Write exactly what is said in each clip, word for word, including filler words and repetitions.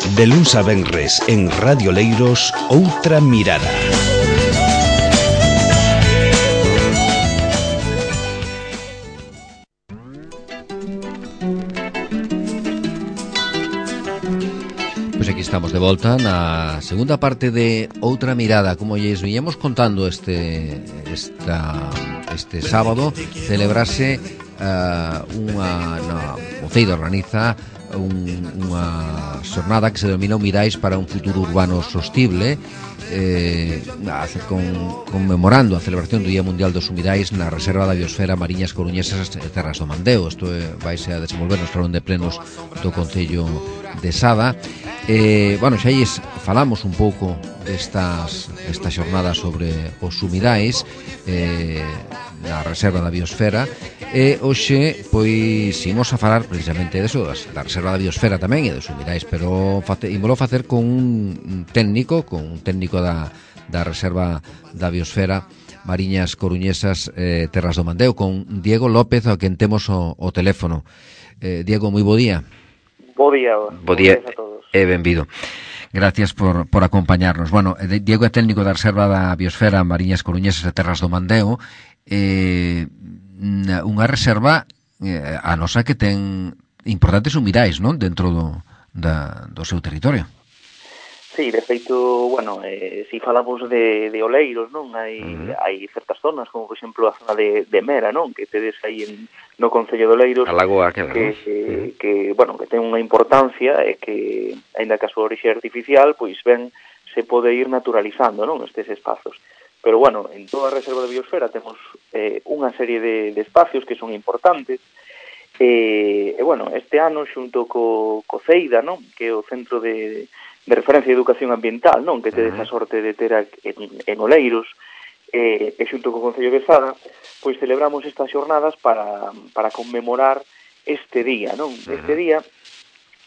De luns a venres en Radio Leiros, Outra Mirada. Pois aquí estamos de volta na segunda parte de Outra Mirada. Como lles viñemos contando este esta, este sábado, celebrase uh, unha na Concello organiza un, unha xornada que se denomina Mirais para un futuro urbano sostible, eh, con, conmemorando a celebración do Día Mundial dos Humidais na Reserva da Biosfera Mariñas Coruñesas e Terras do Mandeo. Isto é, vaise a desenvolver no Salón de Plenos do Concello de Sada. Eh, bueno, xa lles falamos un pouco destas, desta xornada sobre os humidais eh, na Reserva da Biosfera, e hoxe pois imos a falar precisamente deso, da Reserva da Biosfera tamén e dos humidais, pero imolo facer con un técnico, con un técnico da, da Reserva da Biosfera Mariñas Coruñesas eh, Terras do Mandeo, con Diego López, a quen temos o, o teléfono. eh, Diego, moi bo día. Bo día, bo día a todos. E benvido. Gracias por, por acompañarnos. Bueno, Diego é técnico da Reserva da Biosfera Mariñas Coruñesas e Terras do Mandeo, eh, unha reserva eh, a nosa que ten importantes humidais, non? Dentro do, da, do seu territorio. Sí, de feito, bueno, eh, si falamos de, de oleiros, non? Hai, uh-huh. hai certas zonas, como por exemplo a zona de, de Mera, non? Que tedes aí en, no Concello de Oleiros, a lagoa que, que, que, uh-huh. que, bueno, que ten unha importancia e que, aínda que a súa orixe artificial, pois ben, se pode ir naturalizando, non? Estes espazos. Pero, bueno, en toda a Reserva de Biosfera temos eh, unha serie de, de espacios que son importantes, e, e bueno, este ano, xunto co, co CEIDA, non? Que é o Centro de... de referencia de educación ambiental, non? Que tedes a sorte de ter en, en Oleiros, e, e xunto co Concello de Sada, pois celebramos estas xornadas para, para conmemorar este día, non? Uh-huh. Este día,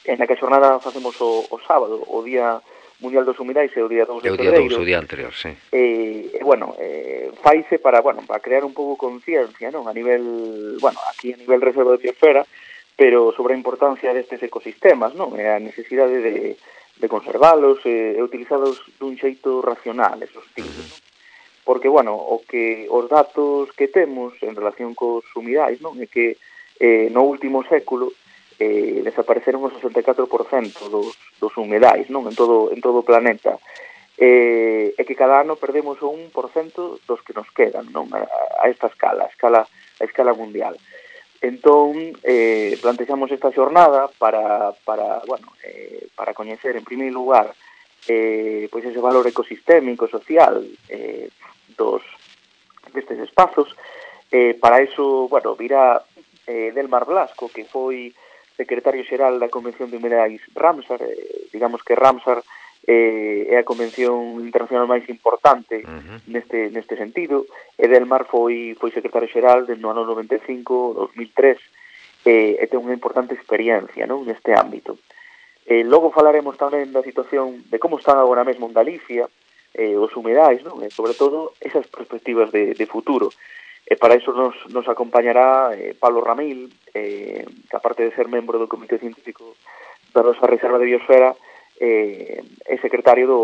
en a que a xornada facemos o, o sábado, o Día Mundial dos Humidais e o día dous de Febreiro. O día anterior, sí. E, e bueno, eh, faise para, bueno, para crear un pouco conciencia, non? A nivel, bueno, aquí a nivel Reserva de Biosfera, pero sobre a importancia destes ecosistemas, non? E a necesidade de de conservalos e, e utilizados dun xeito racional, esos tipos, non? Porque, bueno, o que os datos que temos en relación cos humidais, non? É que eh, no último século eh, desapareceron o sesenta e catro por cento dos, dos humidais, non? En todo, en todo o planeta. Eh, e que cada ano perdemos o un por cento dos que nos quedan, non? A, a esta escala, a escala, a escala mundial. Entón, eh, plantexamos esta xornada para, para, bueno, eh, para coñecer, en primeiro lugar, eh, pois ese valor ecosistémico, social eh, dos destes espazos. Eh, para iso, bueno, virá eh, Delmar Blasco, que foi secretario xeral da Convención de Humidais Ramsar. Eh, digamos que Ramsar eh, é a convención internacional máis importante uh-huh. neste neste sentido, e Delmar foi foi secretario xeral no ano noventa e cinco, dos mil tres, eh, e ten unha importante experiencia, non, neste ámbito. Eh, logo falaremos tamén da situación de como están agora mesmo en Galicia eh, os humidais, non, e sobre todo esas perspectivas de, de futuro. E para iso nos, nos acompañará eh, Pablo Ramil, eh, que aparte de ser membro do Comité Científico da nosa Reserva de Biosfera, eh, é secretario do,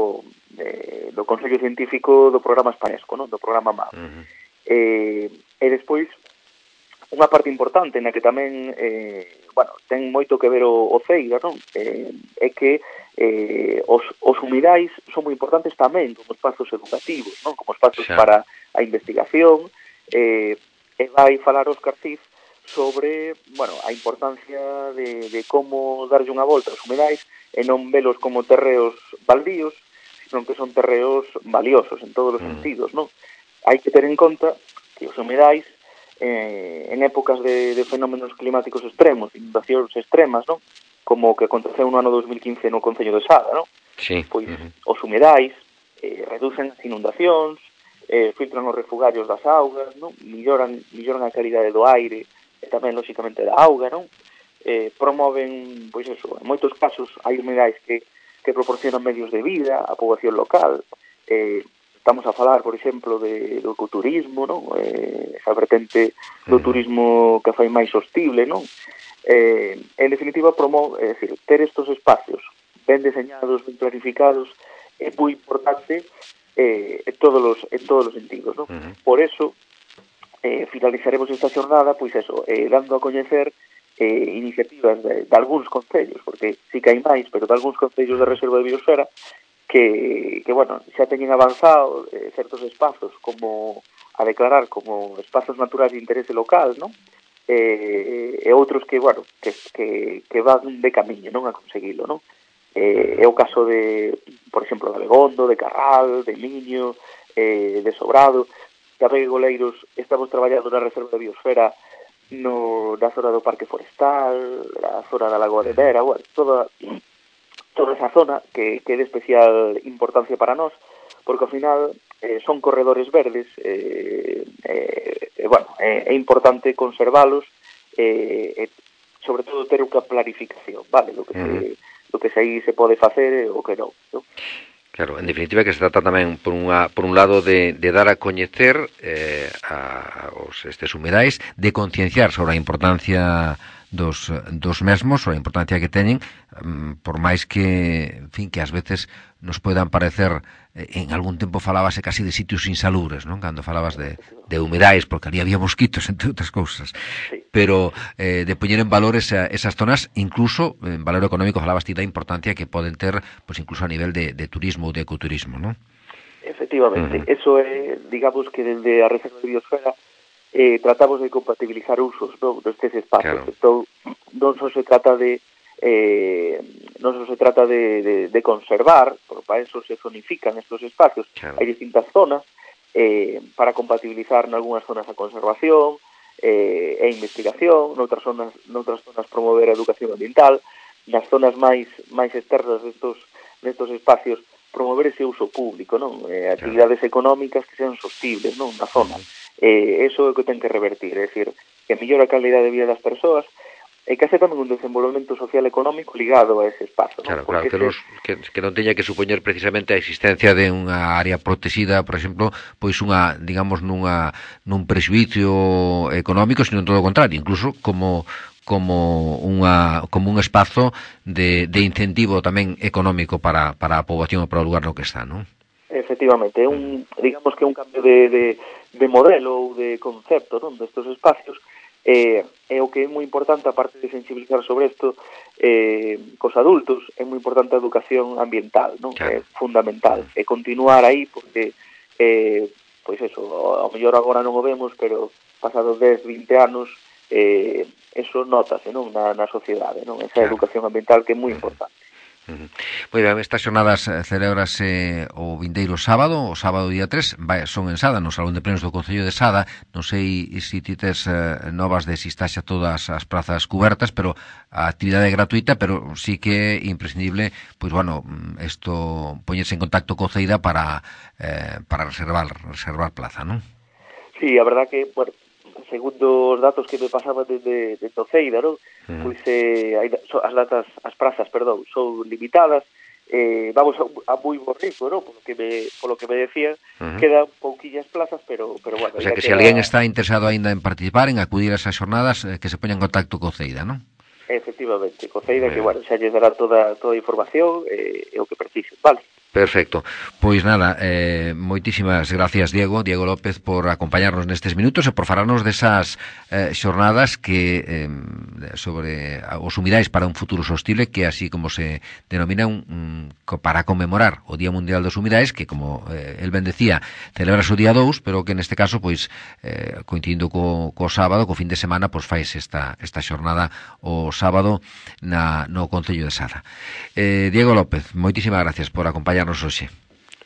de, do Consello Científico do Programa Espanesco, non? Do Programa M A P. Uh-huh. eh, e despois, unha parte importante na que tamén eh, bueno, ten moito que ver o, o CEIDA, non? Eh, é que eh, os, os humidais son moi importantes tamén como espazos educativos, non? Como espazos sí. para a investigación, eh, e vai falar Óscar Cid sobre, bueno, a importancia de, de como darlle unha volta aos humidais e non velos como terreos baldíos, sino que son terreos valiosos en todos os mm. sentidos, non? Hai que ter en conta que os humidais eh, en épocas de, de fenómenos climáticos extremos, inundacións extremas, non? Como o que aconteceu no ano dos mil quince no Concello de Sada, non? Sí. Pois uh-huh. os humidais eh, reducen as inundacións, eh, filtran os refugarios das augas, non? Milloran, milloran a calidade do aire e tamén, lóxicamente, da auga, non? Eh, promoven, pois eso, en moitos casos hai humidais que, que proporcionan medios de vida á poboación local. Eh, estamos a falar, por exemplo, de, do ecoturismo, non? Eh, esa vertente do turismo que fai máis sostible, non? Eh, en definitiva, promove, é dicir, ter estos espacios ben deseñados, ben planificados, é moi importante eh, en todos os en todos os sentidos, ¿no? Uh-huh. Por eso eh, finalizaremos esta xornada, pois eso, eh, dando a coñecer eh, iniciativas de, de algúns concellos, porque sí que hai máis, pero de algúns concellos de reserva de biosfera que, que bueno, xa teñen avanzado eh, certos espazos como a declarar como espazos naturais de interese local, ¿no? Eh, e outros que, bueno, que, que, que van de camiño, non, a conseguilo, non? Eh, é o caso de, por exemplo, de Abegondo, de Carral, de Miño, eh, de Sobrado. Tamén en Oleiros estamos traballando na reserva de biosfera no, na zona do Parque Forestal, na zona da Lagoa de Vera, bueno, toda, toda esa zona que, que é de especial importancia para nós, porque ao final eh, son corredores verdes, eh, eh, eh, bueno, é, é importante conservalos, eh, e sobre todo ter unha planificación, vale, do que se... do que se aí se pode facer e o que non, non? Claro, en definitiva que se trata tamén por unha por un lado de, de dar a coñecer eh, a, os estes humidais, de concienciar sobre a importancia dos, dos mesmos, sobre a importancia que teñen, um, por máis que, en fin, que ás veces nos poidan parecer, eh, en algún tempo falábase casi de sitios insalubres, non? Cando falabas de, de humidais, porque ali había mosquitos, entre outras cousas. Sí. Pero eh, de poñer en valor esa, esas zonas, incluso en valor económico, falabas ti da importancia que poden ter, pues incluso a nivel de, de turismo ou de ecoturismo, non? Efectivamente, uh-huh. Eso é, digamos que desde a Reserva de Biosfera eh, tratamos de compatibilizar usos, non, destes espacios. Claro. Entón, non só se trata de eh, non só se trata de, de, de conservar, porque para eso se zonifican estos espacios. Claro. Hai distintas zonas eh, para compatibilizar en algunhas zonas a conservación eh, e investigación, noutras zonas, noutras zonas promover a educación ambiental, nas zonas máis máis externas destos, destos espacios promover ese uso público, non? Eh, actividades claro. Económicas que sean sostibles, non? Na zona. Eh, eso é o que ten que revertir, é dicir, que mellora a calidad de vida das persoas e que hace tamén un desenvolvemento social e económico ligado a ese espazo, non? Claro, claro, que, los, que, que non teña que supoñer precisamente a existencia de unha área protexida, por exemplo, pois unha, digamos, nunha nun prexuízo económico, sino en todo o contrario, incluso como como unha como un espazo de, de incentivo tamén económico para, para a poboación e para o lugar no que está, non? Efectivamente, é un, digamos que é un cambio de, de, de modelo ou de concepto, non, destes espacios. Eh, é o que é moi importante, aparte de sensibilizar sobre isto eh, cos adultos, é moi importante a educación ambiental, non? Claro. É fundamental, e continuar aí porque eh, pois eso, ao mellor agora non o vemos, pero pasados dez, vinte anos eh, eso notase, non, na, na sociedade, non? Esa claro. Educación ambiental que é moi importante. Uh-huh. Moi ben, estas xornadas celébrase o vindeiro sábado, o sábado día tres, vai, son en Sada, no Salón de Plenos do Concello de Sada. Non sei se ti tes eh, novas de si estás a todas as prazas cubertas, pero a actividade é gratuita, pero sí que é imprescindible, pois bueno, isto poñerse en contacto co Ceida para eh, para reservar reservar plaza, non? Sí, a verdad que, bueno, segundo os datos que me pasaban desde de Toceida, non? Uh-huh. Pois eh, hai, so, as datas, as prazas, perdón, son limitadas, eh, vamos a, a moi bo ritmo, non? Polo que me, polo que me decían, uh-huh. Quedan pouquillas plazas, pero, pero bueno. O sea, que queda... se alguén está interesado aínda en participar, en acudir a esas xornadas, eh, que se poña en contacto co Ceida, non? Efectivamente, co Ceida, que, bueno, xa lles dará toda, toda a información e eh, o que precisen, vale? Perfecto. Pois nada, eh, moitísimas gracias, Diego, Diego López, por acompañarnos nestes minutos e por falarnos desas eh, xornadas que eh, sobre os humidais para un futuro sostible, que así como se denomina un, un, para conmemorar o Día Mundial dos Humidais, que como eh, el ben decía, celebras o día dous, pero que neste caso, pois, eh, coincidindo co, co sábado, co fin de semana, pois fais esta, esta xornada o sábado na, no Concello de Sada. Eh, Diego López, moitísimas gracias por acompañarnos hoxe.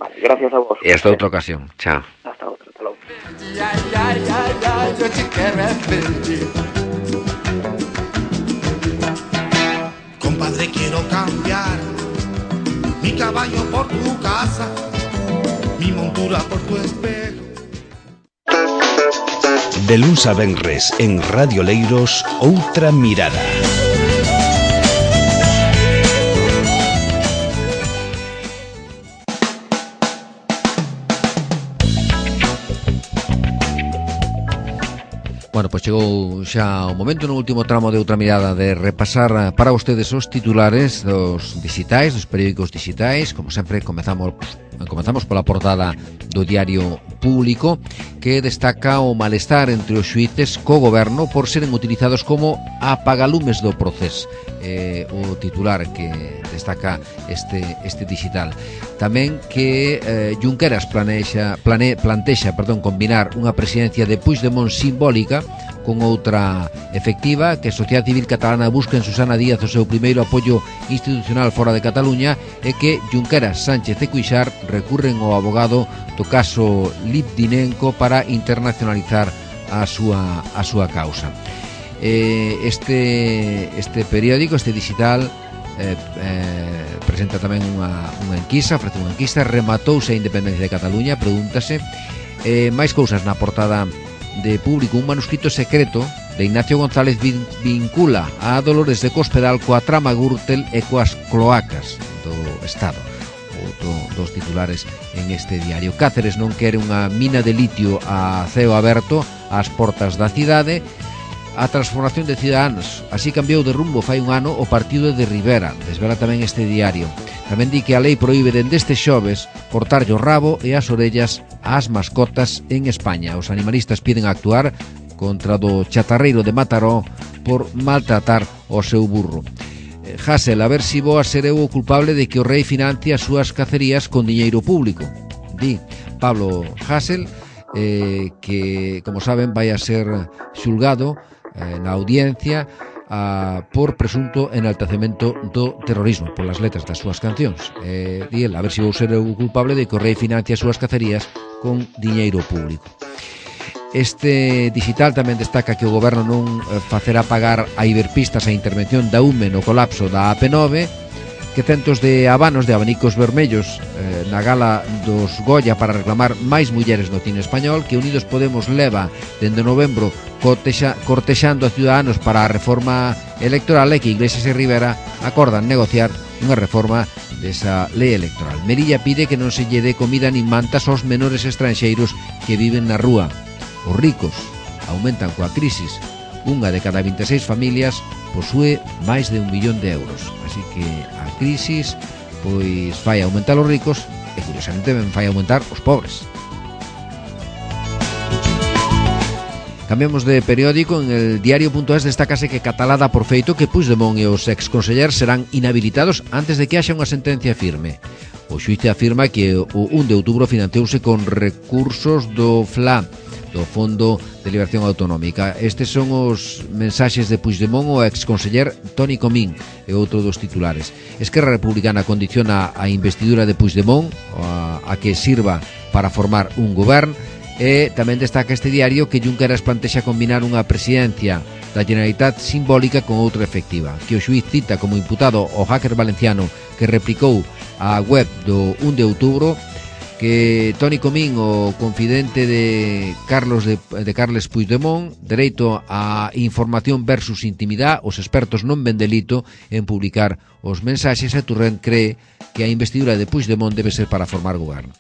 Vale, gracias a vos. E hasta outra ocasión. Chao. Hasta outra, hasta logo. Compadre, quiero cambiar mi caballo por tu casa, mi montura por tu espejo. De luns a venres en Radio Leiros, Outra Mirada. Bueno, pues chegou xa o momento no último tramo de Outra Mirada de repasar para vostedes os titulares dos digitais, dos periódicos digitais. Como sempre, comezamos comezamos pola portada do Diario Público, que destaca o malestar entre os xuíces co goberno por seren utilizados como apagalumes do proceso. Eh, o titular que destaca este este digital. Tamén que eh, Junqueras planexa, plane, plantexa perdón, combinar unha presidencia de Puigdemont simbólica con outra efectiva, que a sociedade civil catalana busca en Susana Díaz o seu primeiro apoio institucional fora de Cataluña, e que Junqueras, Sánchez e Cuixart recurren ao abogado do caso Litvinenko para internacionalizar a súa, a súa causa. Eh, este, este periódico, este digital, eh, eh, presenta tamén unha, unha enquisa, ofrece unha enquisa. Rematouse a independencia de Cataluña, pregúntase. Eh, máis cousas na portada de Público. Un manuscrito secreto de Ignacio González vin, vincula a Dolores de Cospedal coa trama Gürtel e coas cloacas do Estado. Outro dos titulares en este diario. Cáceres non quere unha mina de litio a ceo aberto ás portas da cidade. A transformación de Ciudadanos, así cambiou de rumbo fai un ano o partido de Rivera, desvela tamén este diario. Tamén di que a lei proíbe dende este xoves cortarlle o rabo e as orellas ás mascotas en España. Os animalistas piden actuar contra do chatarreiro de Mataró por maltratar o seu burro. Hasél, a ver si vou a ser eu o culpable de que o rei financie as súas cacerías con diñeiro público. Di Pablo Hasél, eh, que, como saben, vai a ser xulgado na audiencia a, por presunto enaltecemento do terrorismo polas letras das súas cancións. Eh, di el, a ver se vou ser o culpable de que o rei financia as súas cacerías con diñeiro público. Este digital tamén destaca que o goberno non facerá pagar a Iberpistas a intervención da U M E no colapso da A P nove, que centos de habanos de abanicos vermellos eh, na gala dos Goya para reclamar máis mulleres no cine español, que Unidos Podemos leva dende novembro cortexa, cortexando a Ciudadanos para a reforma electoral, e que Iglesias e Rivera acordan negociar unha reforma desa lei electoral. Melilla pide que non se lle dé comida nin mantas aos menores estranxeiros que viven na rúa. Os ricos aumentan coa crisis. Unha de cada vinte e seis familias posúe máis de un millón de euros. Así que a crisis pois fai aumentar os ricos e, curiosamente, ben fai aumentar os pobres. Cambiamos de periódico. En el diario.es destacase que Catalá dá por feito que Puigdemont e os exconsellers serán inhabilitados antes de que haxa unha sentencia firme. O xuíce afirma que o un de outubro financiouse con recursos do F L A, do Fondo de Liberación Autonómica. Estes son os mensaxes de Puigdemont ao exconseller Toni Comín, e outro dos titulares. Esquerra Republicana condiciona a investidura de Puigdemont a, a que sirva para formar un govern. E tamén destaca este diario que Junqueras plantexa combinar unha presidencia da Generalitat simbólica con outra efectiva, que o xuíz cita como imputado o hacker valenciano que replicou a web do un de outubro, que Toni Comín, o confidente de Carlos de, de Carles Puigdemont, dereito a información versus intimidade, os expertos non ven delito en publicar os mensaxes, e Turrent cree que a investidura de Puigdemont debe ser para formar goberno.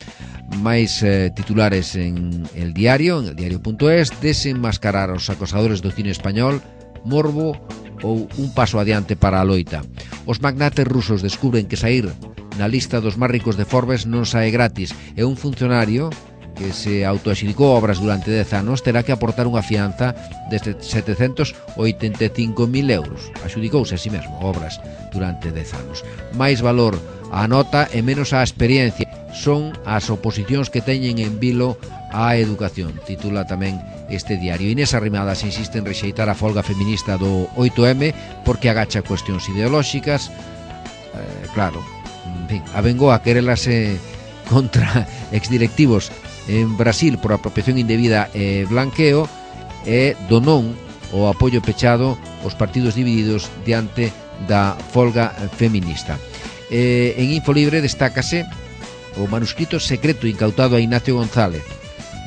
Mais eh, titulares en el diario, en el diario.es: desenmascarar os acosadores do cine español, morbo ou un paso adiante para a loita. Os magnates rusos descubren que saír na lista dos máis ricos de Forbes non sae gratis, e un funcionario que se autoaxudicou obras durante dez anos terá que aportar unha fianza de setecentos oitenta e cinco mil euros. Axudicouse a si mesmo obras durante dez anos. Máis valor á nota e menos á experiencia son as oposicións que teñen en vilo á educación, titula tamén este diario. Inés Arrimadas insiste en rexeitar a folga feminista do oito eme porque agacha cuestións ideolóxicas. Eh, claro, en fin, avengou a querelase contra exdirectivos en Brasil por apropiación indebida e blanqueo, e donou o apoio pechado aos partidos divididos diante da folga feminista. Eh, en Infolibre destácase o manuscrito secreto incautado a Ignacio González,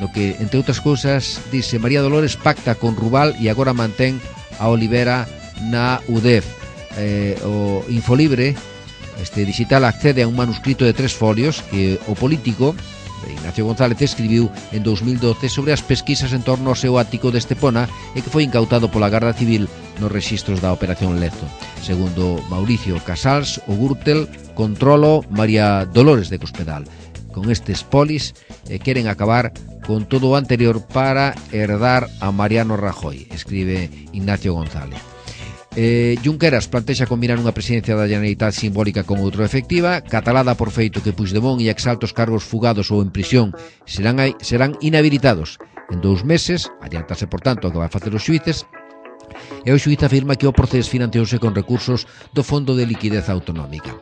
no que, entre outras cousas, dice María Dolores pacta con Rubal e agora mantén a Olivera na U D E F. Eh, o Infolibre, este digital, accede a un manuscrito de tres folios que o político Ignacio González escribiu en dous mil doce sobre as pesquisas en torno ao seu ático de Estepona e que foi incautado pola Garda Civil nos rexistros da Operación Lezo. Segundo Mauricio Casals, o Gürtel controlo María Dolores de Cospedal. Con estes polis eh, queren acabar con todo o anterior para herdar a Mariano Rajoy, escribe Ignacio González. Eh, Junqueras plantexa combinar unha presidencia da Generalitat simbólica con outra efectiva, catalada por feito que Puigdemont e exaltos cargos fugados ou en prisión serán, serán inhabilitados en dous meses, adiantase por tanto o que vai facer os xuíces, e o xuíz afirma que o Procés financiouse con recursos do Fondo de Liquidez Autonómica.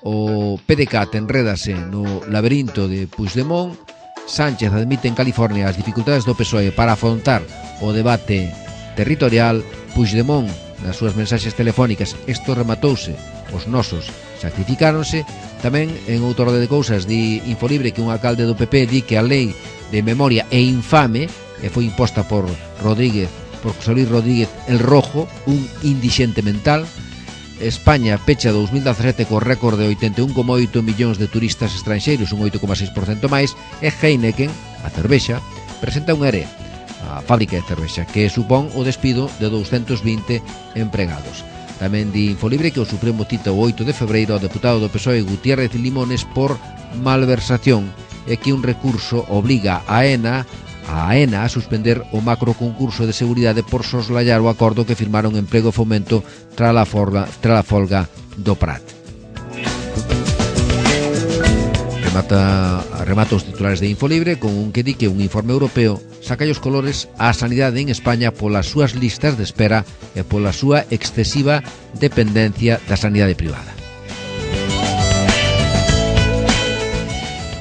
O P D C A enrédase no laberinto de Puigdemont. Sánchez admite en California as dificultades do P S O E para afrontar o debate territorial. Puigdemont, nas súas mensaxes telefónicas, isto rematouse, os nosos sacrificáronse. Tamén en outro orde de cousas di Infolibre que un alcalde do P P di que a lei de memoria é infame e foi imposta por Rodríguez, por José Luis Rodríguez el Rojo, un indixente mental. España pecha dous mil dezasete co récord de oitenta e un coma oito millóns de turistas estranxeiros, un oito coma seis por cento máis, e Heineken, a cervexa, presenta un ERE, a fábrica de cervexa, que supón o despido de douscentos vinte empregados. Tamén di Infolibre que o Supremo cita o oito de febreiro ao deputado do P S O E Gutiérrez Limones por malversación e que un recurso obliga a ENA a AENA a suspender o macro concurso de seguridade por soslayar o acordo que firmaron Emprego e Fomento tras a folga, tras a folga do Prat. Remata, remata os titulares de Infolibre con un que di que un informe europeo saca os colores á sanidade en España polas súas listas de espera e pola súa excesiva dependencia da sanidade privada.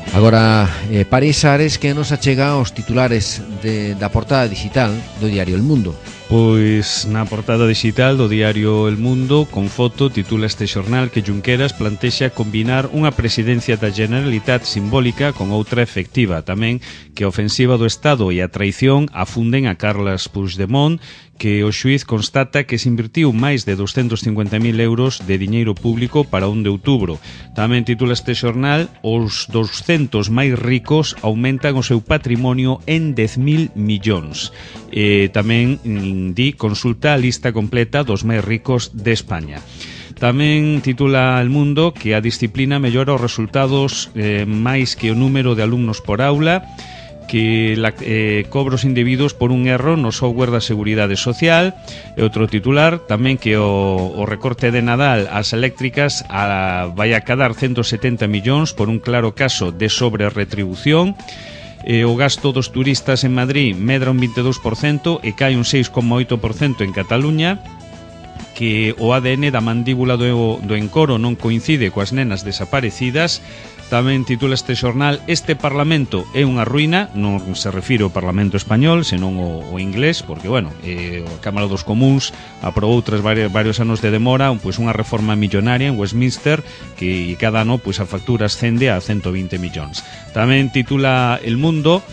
Agora, eh, París Ares, que nos achega os titulares de, da portada digital do diario El Mundo. Pois na portada digital do diario El Mundo, con foto, titula este xornal que Junqueras plantexa combinar unha presidencia da Generalitat simbólica con outra efectiva. Tamén que a ofensiva do Estado e a traición afunden a Carles Puigdemont, que o xuíz constata que se invertiu máis de doscientos cincuenta mil euros de diñeiro público para un de outubro. Tamén titula este xornal: os doscientos máis ricos aumentan o seu patrimonio en dez mil millóns. E tamén di consulta a lista completa dos máis ricos de España. Tamén titula El Mundo que a disciplina mellora os resultados eh, máis que o número de alumnos por aula, que la, eh, cobros indebidos por un erro no software da Seguridade Social. E outro titular tamén que o, o recorte de Nadal ás eléctricas a, vai a cadar ciento setenta millóns por un claro caso de sobre-retribución. E o gasto dos turistas en Madrid medra un vinte e dous por cento e cae un seis coma oito por cento en Cataluña, que o A D N da mandíbula do, do encoro non coincide coas nenas desaparecidas. Tamén titula este xornal: este Parlamento é unha ruína. Non se refire ao Parlamento español, senón o, o inglés, porque, bueno, eh, a Cámara dos Comuns aprobou tras varios, varios anos de demora pois unha reforma millonaria en Westminster que cada ano pois a factura ascende a ciento vinte millóns. Tamén titula El Mundo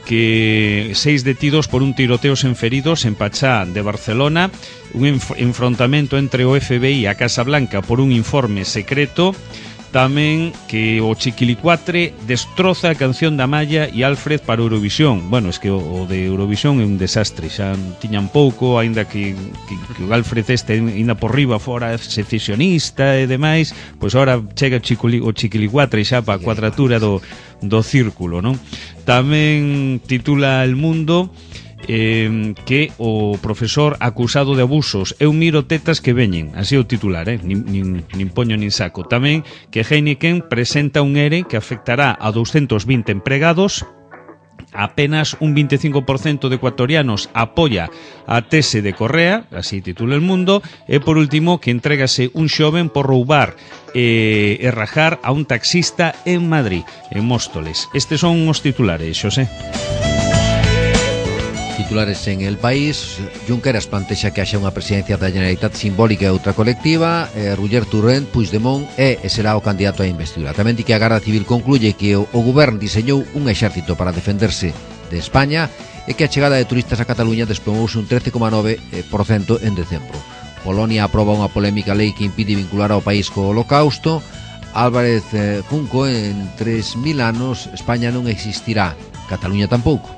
que seis detidos por un tiroteo sen feridos en Pachá de Barcelona, un enf- enfrontamento entre o F B I e a Casa Blanca por un informe secreto. Tamén que o Chiquilicuatre destroza a canción da Malla e Alfred para Eurovisión. Bueno, es que o, o de Eurovisión é un desastre. Xa tiñan pouco, aínda que, que, que o Alfred este ainda por riba fora secesionista e demais, pois agora chega Chiquili, o Chiquilicuatre xa para a cuadratura do, do círculo, non? Tamén titula El Mundo Eh, que o profesor acusado de abusos é un miro tetas que veñen, así o titular, eh? nin, nin, nin poño nin saco. Tamén que Heineken presenta un ERE que afectará a doscientos vinte empregados. Apenas un vinte e cinco por cento de ecuatorianos apoia a tese de Correa, así titula El Mundo. E por último que entregase un xoven por roubar e, e rajar a un taxista en Madrid, en Móstoles. Estes son os titulares, Xosé. Titulares en El País: Junqueras plantexa que haxa unha presidencia da Generalitat simbólica e outra colectiva. eh, Roger Torrent, Puigdemont é e será o candidato á investidura. Tamén di que a Garda Civil concluye que o, o goberno diseñou un exército para defenderse de España e que a chegada de turistas a Cataluña desplomouse un trece coma nove por cento en decembro. Polonia aproba unha polémica lei que impide vincular ao país co Holocausto. Álvarez eh, Junco, en tres mil anos España non existirá, Cataluña tampouco.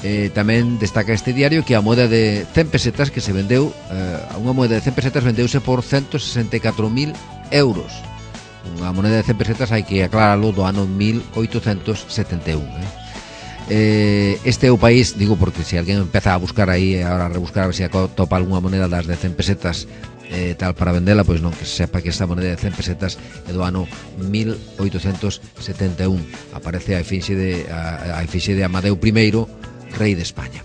Eh, tamén destaca este diario que a moeda de cen pesetas que se vendeu, eh, unha moeda de cen pesetas vendeuse por ciento sesenta e catro mil euros. Unha moneda de cen pesetas hai que aclararlo do ano mil oitocentos setenta e un. Eh. Eh, este é o país, digo porque se alguén empeza a buscar aí, ahora a rebuscar a ver se atopa algunha moneda das de cen pesetas eh, tal para vendela, pois non, que se sepa que esta moneda de cen pesetas é do ano mil oitocentos setenta e un. Aparece a efixe de, a, a efixe de Amadeu primeiro, rei de España.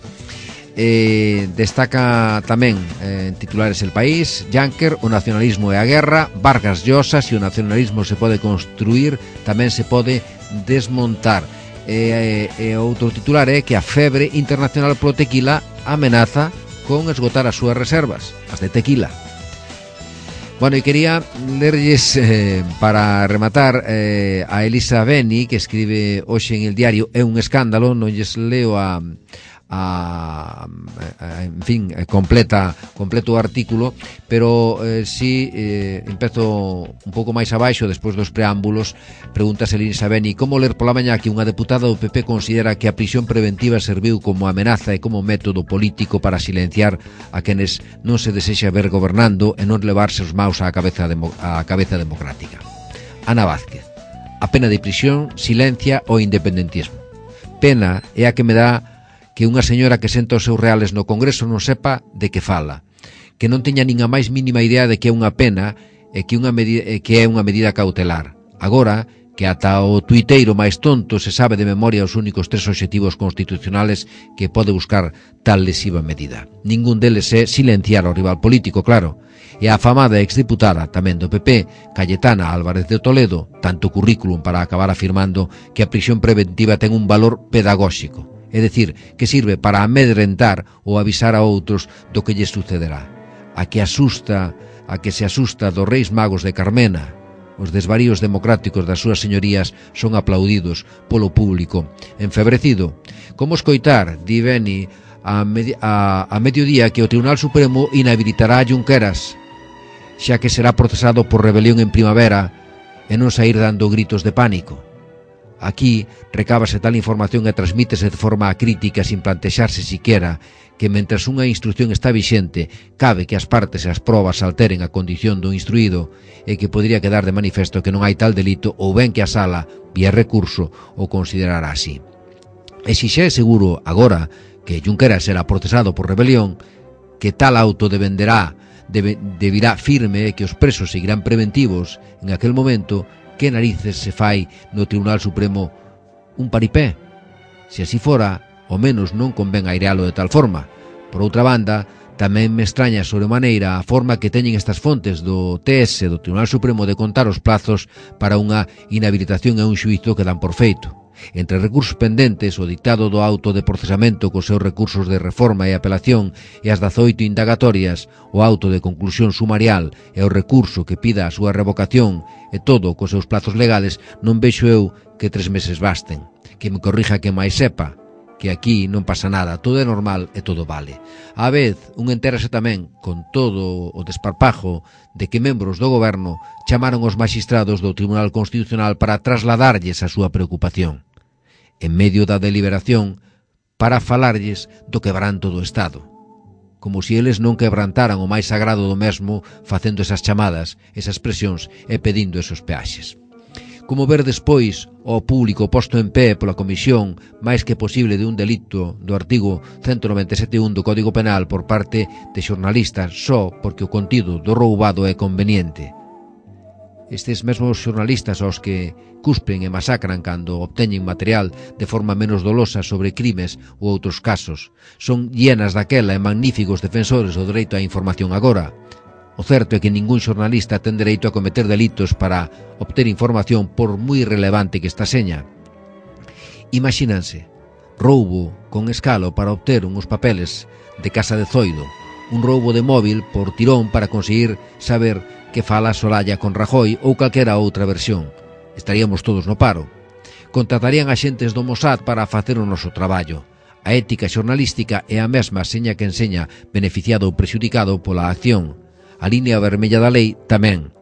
Eh, destaca tamén eh, en titulares El País, Juncker, o nacionalismo e a guerra, Vargas Llosa, se o nacionalismo se pode construir, tamén se pode desmontar. E eh, eh, outro titular é que a febre internacional pro tequila amenaza con esgotar as súas reservas, as de tequila. Bueno, e quería lerlles eh, para rematar eh, a Elisa Beni, que escribe hoxe en el diario É un escándalo, non lles leo a, a, a en fin, completa completo o artículo, pero eh, si eh, empezo un pouco máis abaixo despois dos preámbulos. Pregúntase Elisa Beni como ler pola mañá que unha deputada do P P considera que a prisión preventiva serviu como amenaza e como método político para silenciar a quenes non se desexa ver gobernando e non levarse os maus á cabeza, demo, á cabeza democrática. Ana Vázquez, a pena de prisión silencia o independentismo. Pena é a que me dá que unha señora que senta os seus reales no Congreso non sepa de que fala, que non teña nin a máis mínima idea de que é unha pena e que, unha medida, que é unha medida cautelar. Agora, que ata o tuiteiro máis tonto se sabe de memoria os únicos tres obxectivos constitucionales que pode buscar tal lesiva medida. Ningún deles é silenciar ao rival político, claro. E a afamada exdiputada tamén do P P, Cayetana Álvarez de Toledo, tanto currículum para acabar afirmando que a prisión preventiva ten un valor pedagóxico. É dicir, que sirve para amedrentar ou avisar a outros do que lles sucederá. A que asusta, a que se asusta dos Reis Magos de Carmena. Os desvaríos democráticos das súas señorías son aplaudidos polo público enfebrecido. Como escoitar, di Beni, a, medi a, a mediodía que o Tribunal Supremo inhabilitará a Junqueras, xa que será procesado por rebelión en primavera e non saír dando gritos de pánico. Aquí recábase tal información e transmítese de forma crítica sin plantexarse siquera que mentres unha instrucción está vixente cabe que as partes e as probas alteren a condición do instruído e que podría quedar de manifesto que non hai tal delito ou ben que a sala, vía recurso, o considerará así. E se xa é seguro agora que Junqueras será procesado por rebelión, que tal auto dependerá, debe, deberá firme e que os presos seguirán preventivos, en aquel momento, que narices se fai no Tribunal Supremo un paripé? Se así fora, ao menos non convén airealo de tal forma. Por outra banda, tamén me extraña sobremaneira a forma que teñen estas fontes do T S do Tribunal Supremo de contar os plazos para unha inhabilitación e un xuízo que dan por feito. Entre recursos pendentes, o dictado do auto de procesamento cos seus recursos de reforma e apelación e as dezaoito indagatorias, o auto de conclusión sumarial e o recurso que pida a súa revocación e todo cos seus plazos legales, non vexo eu que tres meses basten. Que me corrija que máis sepa, que aquí non pasa nada, todo é normal e todo vale. A vez, un entérase tamén, con todo o desparpajo, de que membros do goberno chamaron os magistrados do Tribunal Constitucional para trasladarlles a súa preocupación. En medio da deliberación, para falarlles do quebranto do Estado. Como se eles non quebrantaran o máis sagrado do mesmo facendo esas chamadas, esas presións e pedindo esos peaxes. Como ver despois o público posto en pé pola comisión máis que posible de un delito do artigo ciento noventa e sete punto un do Código Penal por parte de xornalistas só porque o contido do roubado é conveniente. Estes mesmos xornalistas aos que cuspen e masacran cando obteñen material de forma menos dolosa sobre crimes ou outros casos son llenas daquela e magníficos defensores do dereito á información agora. O certo é que ningún xornalista ten dereito a cometer delitos para obter información por moi relevante que esta seña. Imagínanse, roubo con escalo para obter uns papeles de Casa de Zoido, un roubo de móvil por tirón para conseguir saber que fala Soraya con Rajoy ou calquera outra versión. Estaríamos todos no paro. Contratarían axentes do Mossad para facer o noso traballo. A ética xornalística é a mesma seña que enseña beneficiado ou prexudicado pola acción. A línea vermella da lei tamén.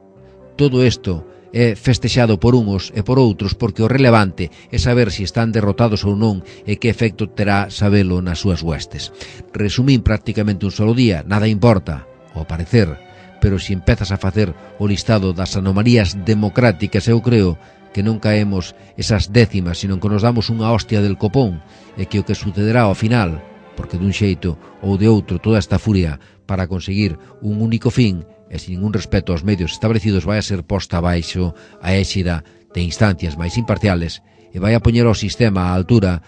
Todo isto é festexado por uns e por outros, porque o relevante é saber se están derrotados ou non e que efecto terá sabelo nas súas huestes. Resumín prácticamente un solo día, nada importa, ao parecer, pero se empezas a facer o listado das anomalías democráticas, eu creo que non caemos esas décimas, sino que nos damos unha hostia del copón, e que o que sucederá ao final, porque dun xeito ou de outro toda esta furia para conseguir un único fin e sin ningún respeto aos medios establecidos vai a ser posta abaixo a éxida de instancias máis imparciales e vai a poñer o sistema á altura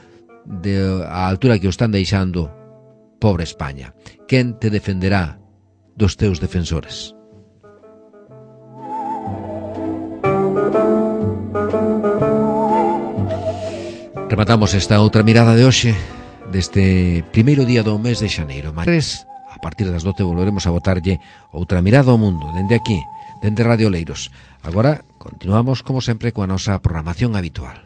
de, á altura que o están deixando pobre España. Quen te defenderá dos teus defensores? Rematamos esta outra mirada de hoxe deste primeiro día do mes de xaneiro. Mas a partir das doce volveremos a botarlle outra mirada ao mundo, dende aquí, dende Radio Leiros. Agora continuamos, como sempre, coa nosa programación habitual.